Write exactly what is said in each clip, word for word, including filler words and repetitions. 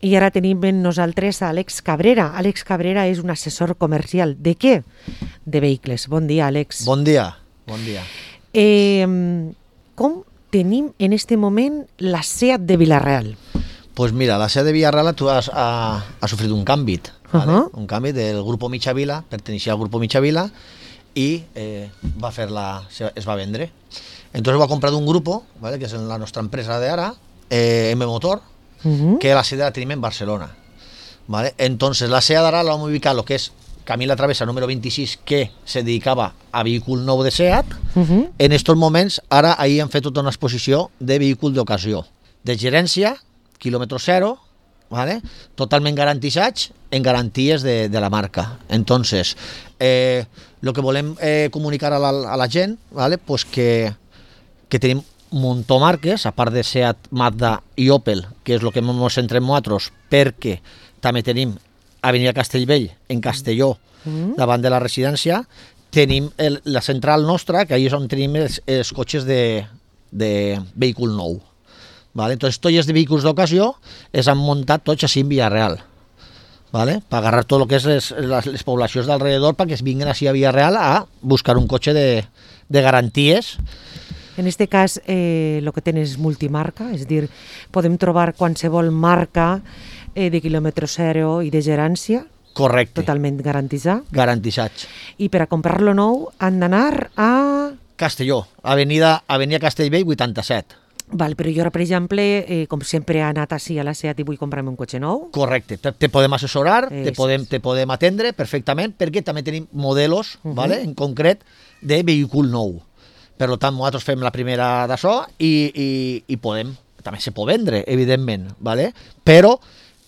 I ara tenim amb nosaltres a Àlex Cabrera. Àlex Cabrera és un assessor comercial. De què? De vehicles. Bon dia, Àlex. Bon dia. Bon dia. Eh, com tenim en este moment la SEAT de Vila-real? Pues mira, la SEAT de Vila-real tu has, ha, ha sufrido un canvi, ¿vale? Uh-huh. Un canvi del grupo Michavila, pertenecía al grupo Michavila y eh, va a fer la, es va vendre. Entonces va a comprar un grupo, ¿vale? Que es la nuestra empresa de ara, eh, M Motor, uh-huh. que la sede la tenim en Barcelona, ¿vale? Entonces la SEAT ara la vamos a ubicar lo que es Camí la Travessa número veintiséis, que se dedicava a vehicle nou de SEAT. Uh-huh. En estos moments, ara ahir han fet tota una exposició de vehicle d'ocasió, de gerència, quilòmetre zero, ¿vale? Totalment garantitzats en garanties de, de la marca. Entonces, eh, lo que volem eh, comunicar a la, a la gent, ¿vale? Pues que, que tenim un munt de marques, a part de SEAT, Mazda i Opel, que és el que ens centrem nosaltres, perquè també tenim Avenida Castellbell, en Castelló, mm. davant de la residència. Tenim el, la central nostra, que ahí és on tenim els, els cotxes de, de vehicle nou. ¿Vale? Entonces, tots de vehicles d'ocasió es han muntat tots així en Vila-real, ¿vale? Per agarrar tot el que és les, les, les poblacions d'alrededor perquè es vinguin així a Vila-real a buscar un cotxe de, de garanties. En este cas, eh, lo que tens és multimarca, és dir, podem trobar qualsevol marca eh, de quilòmetre zero i de gerència. Correcte. Totalment garantitzat. Garantitzats. I per a comprar-lo nou han d'anar a... Castelló, avenida, avenida Castellbell vuitanta-set. Val, però jo ara, per exemple, eh, com sempre he anat així a la SEAT i vull comprar-me un cotxe nou. Correcte, te, te podem assessorar, eh, te, podem, te podem atendre perfectament, perquè també tenim modelos, uh-huh. ¿vale? En concret, de vehicle nou. Per tant, nosaltres fem la primera d'això i, i, i podem, també se pot vendre, evidentment, ¿vale? Però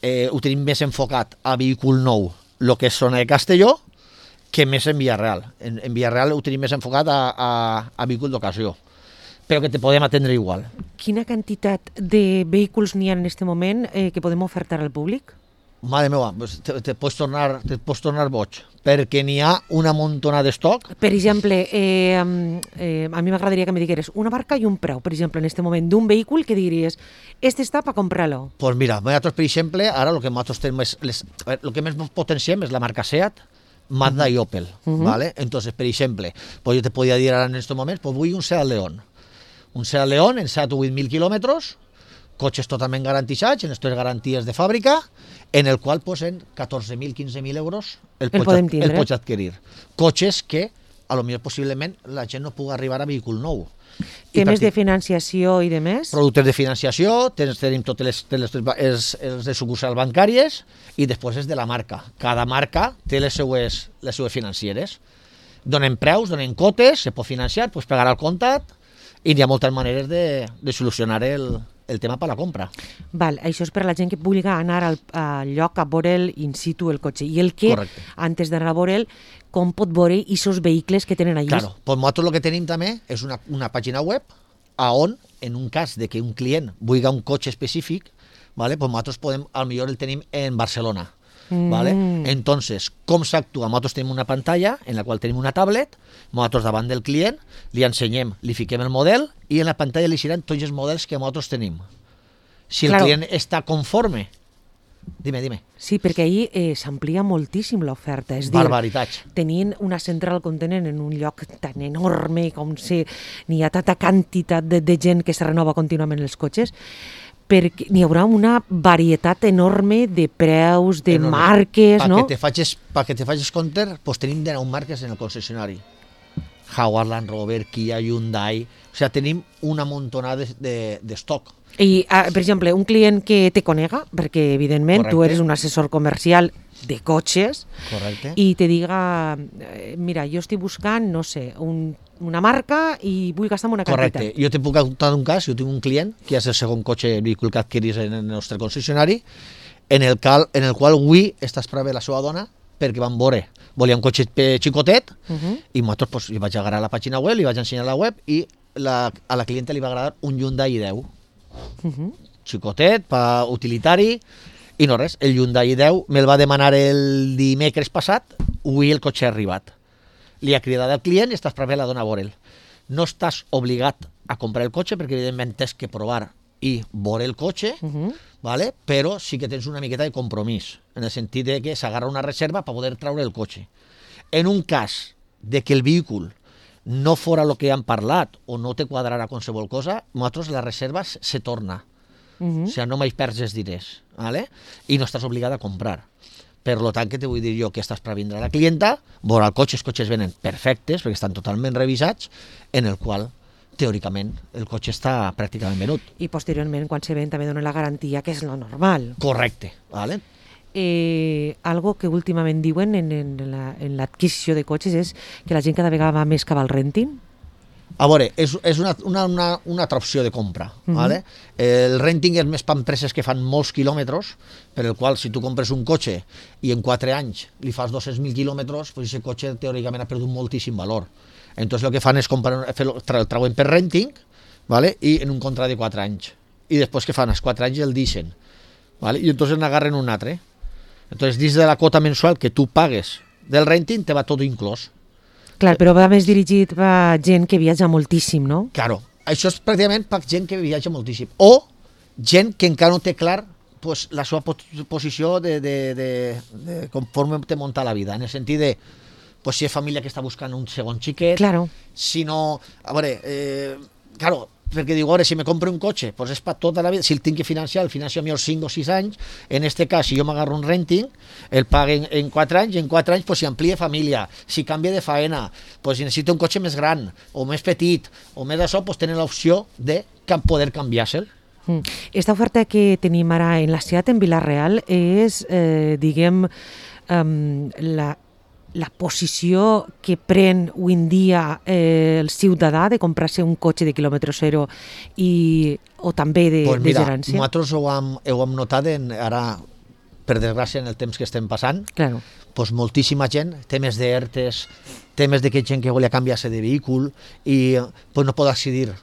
eh, ho tenim més enfocat a vehicle nou, el que és zona de Castelló, que més en Vila-real. En, en Vila-real ho tenim més enfocat a, a, a vehicle d'ocasió, però que te podem atendre igual. Quina quantitat de vehicles n'hi ha en aquest moment eh, que podem ofertar al públic? Mare meva, te, te, pots tornar, te pots tornar boig, perquè n'hi ha una muntona d'estoc. Per exemple, eh, eh, a mi m'agradaria que me digueres una marca i un preu, per exemple, en aquest moment, d'un vehicle que diries, este està per comprar-lo. Doncs pues mira, nosaltres, per exemple, ara el que nosaltres tenim és, les, el que més potenciem és la marca SEAT, Mazda uh-huh. i Opel, uh-huh. ¿vale? Entonces, per exemple, pues jo te podria dir ara en aquests moments, pues vull un SEAT León. Un SEAT León en SEAT vuit mil quilòmetres, cotxes totalment garantitzats, en aquestes garanties de fàbrica, en el qual posen catorze mil, quinze mil euros el, el, pots, el pots adquirir. Cotxes que, a lo millor possiblement, la gent no pugui arribar a vehicle nou. Té més de financiació i de més? Productes de financiació, tens, tenim totes les, les, els, els de sucursals bancàries i després és de la marca. Cada marca té les seues, les seues financieres. Donen preus, donen cotes, se pot financiar, pots pagar al comptat, i hi ha moltes maneres de, de solucionar el, el tema per la compra. Val, això és per a la gent que vulgui anar al, al lloc a veure'l in situ el cotxe. I el que, Correcte. Antes d'anar a veure'l, com pot veure aquests vehicles que tenen allà? Claro, pues nosaltres el que tenim també és una, una pàgina web a on, en un cas de que un client vulgui un cotxe específic, ¿vale? Pues nosaltres podem, al millor el tenim en Barcelona. ¿Vale? Entonces, com s'actua? Nosaltres tenim una pantalla en la qual tenim una tablet, nosaltres davant del client li ensenyem, li fiquem el model i en la pantalla li seran tots els models que nosaltres tenim. Si el claro. client està conforme, dime, dime. Sí, perquè ahir eh, s'amplia moltíssim l'oferta. És Barbaritats. dir, tenint una central com tenen en un lloc tan enorme com si n'hi ha tanta quantitat de, de gent que se renova contínuament els cotxes, perquè n'hi haurà una varietat enorme de preus, de enorme. Marques, pa no? Que te facis, pa que te facis compte, pues tenim dinou marques en el concessionari. Jaguar, Land Rover, Kia, Hyundai... O sigui, tenim una montonada d'estoc. De, I, uh, per exemple, un client que te conega, perquè evidentment Correcte. Tu eres un assessor comercial de cotxes, Correcte. I te diga, mira, jo estic buscant, no sé, un una marca i vull gastar una quantitat. Correcte. Jo te puc contar un cas, jo tinc un client que és el segon cotxe vehicle que adquiris en el nostre concessionari, en el, cal, en el qual avui està esperant la seva dona perquè van veure, volia un cotxe xicotet uh-huh. i nosaltres pues, li vaig agarrar la pàgina web, li vaig ensenyar la web i la, a la clienta li va agradar un Hyundai i deu. Uh-huh. Xicotet, pa utilitari, i no res, el Hyundai i deu me'l va demanar el dimecres passat, avui el cotxe ha arribat. Li ha cridat al client i està esperant la dona a veure'l. No estàs obligat a comprar el cotxe perquè evidentment tens que provar i veure el cotxe, uh-huh. ¿vale? Però sí que tens una miqueta de compromís, en el sentit de que s'agarra una reserva per poder treure el cotxe. En un cas de que el vehicle no fora el que han parlat o no te quadrarà qualsevol cosa, nosaltres la reserva se torna. Uh-huh. O sigui, no mai perds els diners, ¿vale? I no estàs obligat a comprar. Per lo tant, que te vull dir jo, que estàs per vindre a la clienta, veure el cotxe, els cotxes venen perfectes, perquè estan totalment revisats, en el qual, teòricament, el cotxe està pràcticament venut. I posteriorment, quan se ven, també donen la garantia, que és lo normal. Correcte, ¿vale? Eh, algo que últimament diuen en, en, la, en l'adquisició de cotxes és que la gent cada vegada va més cap al renting. A veure, és, és una, una, una, una altra opció de compra. Uh-huh. ¿Vale? El renting és més per empreses que fan molts quilòmetres, per el qual si tu compres un cotxe i en quatre anys li fas dos-cents mil quilòmetres, pues aquest cotxe teòricament ha perdut moltíssim valor. Entonces el que fan és comprar, el trauen per renting, ¿vale? I en un contrat de quatre anys. I després que fan? Els quatre anys el deixen. ¿Vale? I entonces n'agarren un altre. Entonces, dins de la quota mensual que tu pagues del renting, te va tot inclòs. Clar, però va més dirigit a gent que viatja moltíssim, no? Claro, això és pràcticament per gent que viatja moltíssim. O gent que encara no té clar pues, la seva posició de, de, de, de conforme te munta la vida, en el sentit de pues, si és família que està buscant un segon xiquet, claro. Si no... A veure, eh, claro, perquè digo, ara, si me compro un cotxe, pues és per tota la vida, si el tinc que financiar, el financio a mi als cinc o sis anys, en este cas, si jo m'agarro un renting, el paguen en quatre anys, i en quatre anys, pues, si amplia família, si canvia de faena, pues, si necessita un cotxe més gran, o més petit, o més d'això, pues, tenen l'opció de poder canviar-se'l. Mm. Esta oferta que tenim ara en la SEAT, en Vila-real, és, eh, diguem, um, la... la posició que pren avui en dia eh, el ciutadà de comprar-se un cotxe de quilòmetre zero i, o també de, pues mira, de gerència? Nosaltres ho hem, ho hem notat en, ara, per desgràcia, en el temps que estem passant, claro. Pues moltíssima gent, temes d'E R T es, temes de que gent que volia canviar-se de vehicle i pues no pot decidir,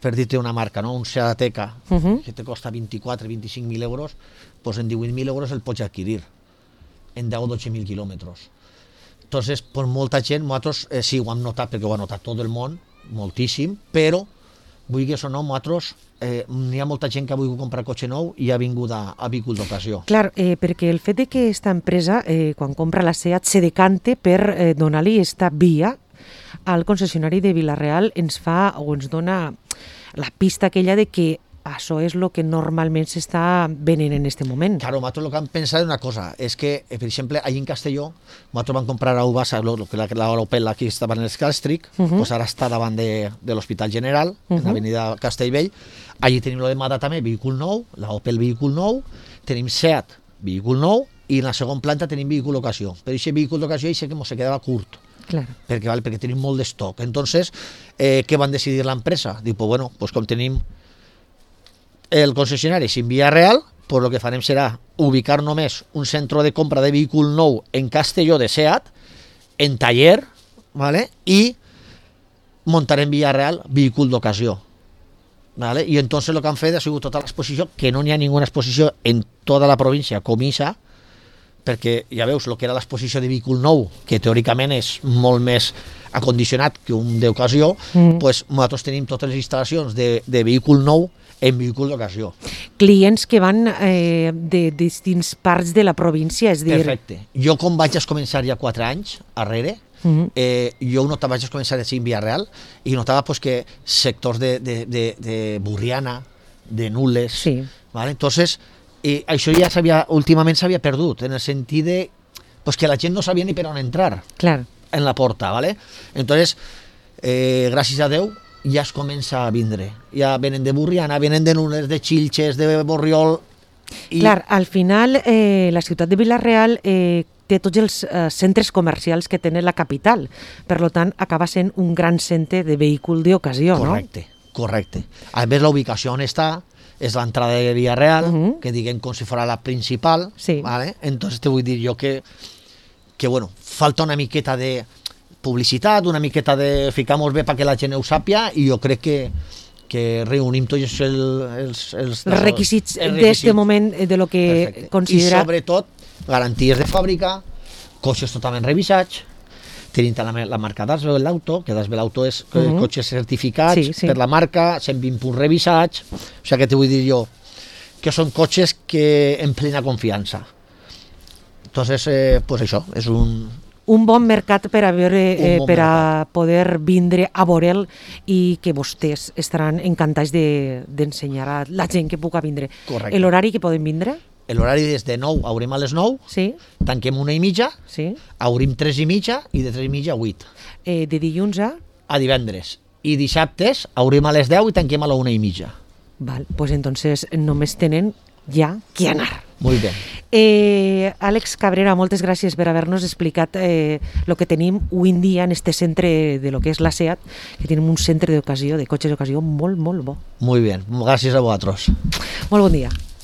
per dir-te una marca, no? Un Seat Ateca, uh-huh. que te costa vint-i-quatre a vint-i-cinc mil euros, pues en divuit mil euros el pots adquirir en deu o dotze mil quilòmetres. Entonces, pues molta gent, nosaltres eh, sí, ho hem notat perquè ho ha notat tot el món, moltíssim, però, vulguis o no, nosaltres eh, n'hi ha molta gent que ha volgut comprar cotxe nou i ha vingut a, a vehicle d'ocasió. Clar, eh, perquè el fet de que esta empresa, eh, quan compra la SEAT, se decante per eh, donar-li esta via al concessionari de Vila-real, ens fa o ens dona la pista aquella de que això és el que normalment s'està venent en aquest moment. Claro, nosaltres el que hem pensat és una cosa, és que, per exemple, allà en Castelló, nosaltres vam comprar a Ubasa, lo que la Opel aquí estava en el Càstric, uh -huh. pues ara està davant de, de l'Hospital General, uh -huh. en l'avenida Castellbell, allí tenim lo de Mada també, vehicle nou, la Opel vehicle nou, tenim Seat, vehicle nou, i en la segona planta tenim vehicle d'ocasió. Però aquest vehicle d'ocasió és que ens quedava curt. Claro. Perquè, vale, perquè tenim molt d'estoc. Entonces, eh, què van decidir l'empresa? Diu, pues bueno, pues com tenim el concessionari en Vila-real, pues lo que farem serà ubicar només un centre de compra de vehicle nou en Castelló de Seat, en taller, ¿vale? I muntar en Vila-real vehicle d'ocasió. ¿Vale? I entonces lo que han fet ha sigut tota l'exposició, que no n'hi ha ninguna exposició en tota la província com ixa, perquè ja veus, el que era l'exposició de vehicle nou, que teòricament és molt més acondicionat que un d'ocasió, mm. pues nosaltres tenim totes les instal·lacions de, de vehicle nou en vehicle d'ocasió. Clients que van eh, de distints parts de la província, és dir... Perfecte. Jo, com vaig començar ja quatre anys arrere, uh-huh. eh, jo notava, vaig començar així en Vila-real, i notava pues, que sectors de, de, de, de Burriana, de Nules... Sí. ¿vale? Entonces, eh, això ja s'havia, últimament s'havia perdut, en el sentit de pues, que la gent no sabia ni per on entrar Clar. en la porta, ¿vale? Entonces, eh, gràcies a Déu, ja es comença a vindre. Ja venen de Burriana, venen de Nules, de Xilxes, de Borriol... I... Clar, al final eh, la ciutat de Vila-real eh, té tots els eh, centres comercials que tenen la capital. Per tant, acaba sent un gran centre de vehicle d'ocasió, no? Correcte, correcte. A més, la ubicació on està és l'entrada de Vila-real, uh-huh. que diguem com si fos la principal, sí. ¿vale? Entonces te vull dir jo que, que bueno, falta una miqueta de publicitat, una miqueta de ficar-nos bé perquè la gent ho sàpia, i jo crec que, que reunim tots el, els, els, els requisits d'aquest moment de lo que Perfecte. Considera... I sobretot garanties de fàbrica, cotxes totalment revisats, tenim la, la marca Dasbel l'auto, que Dasbel l'auto és uh -huh. cotxes certificats sí, sí. per la marca, cent vint punts revisats, o sigui que te vull dir jo que són cotxes que en plena confiança. Entonces, eh, pues això, és un... Un bon mercat per a, veure, eh, bon per a poder vindre a veure'l i que vostès estaran encantats d'ensenyar de, a la gent que puga vindre. Correcte. L'horari que poden vindre? L'horari és de nou, obrim a les nou, sí. tanquem una i mitja, sí. obrim tres i mitja i de tres i mitja a vuit. Eh, de dilluns a? A divendres. I dissabtes obrim a les deu i tanquem a la una i mitja. Val, pues entonces només tenen ja que anar. Molt bé. Eh, Àlex Cabrera, moltes gràcies per haver-nos explicat el eh, que tenim avui en dia en este centre de lo que és la SEAT, que tenim un centre d'ocasió, de cotxes d'ocasió molt, molt bo. Molt bé, gràcies a vosaltres. Molt bon dia.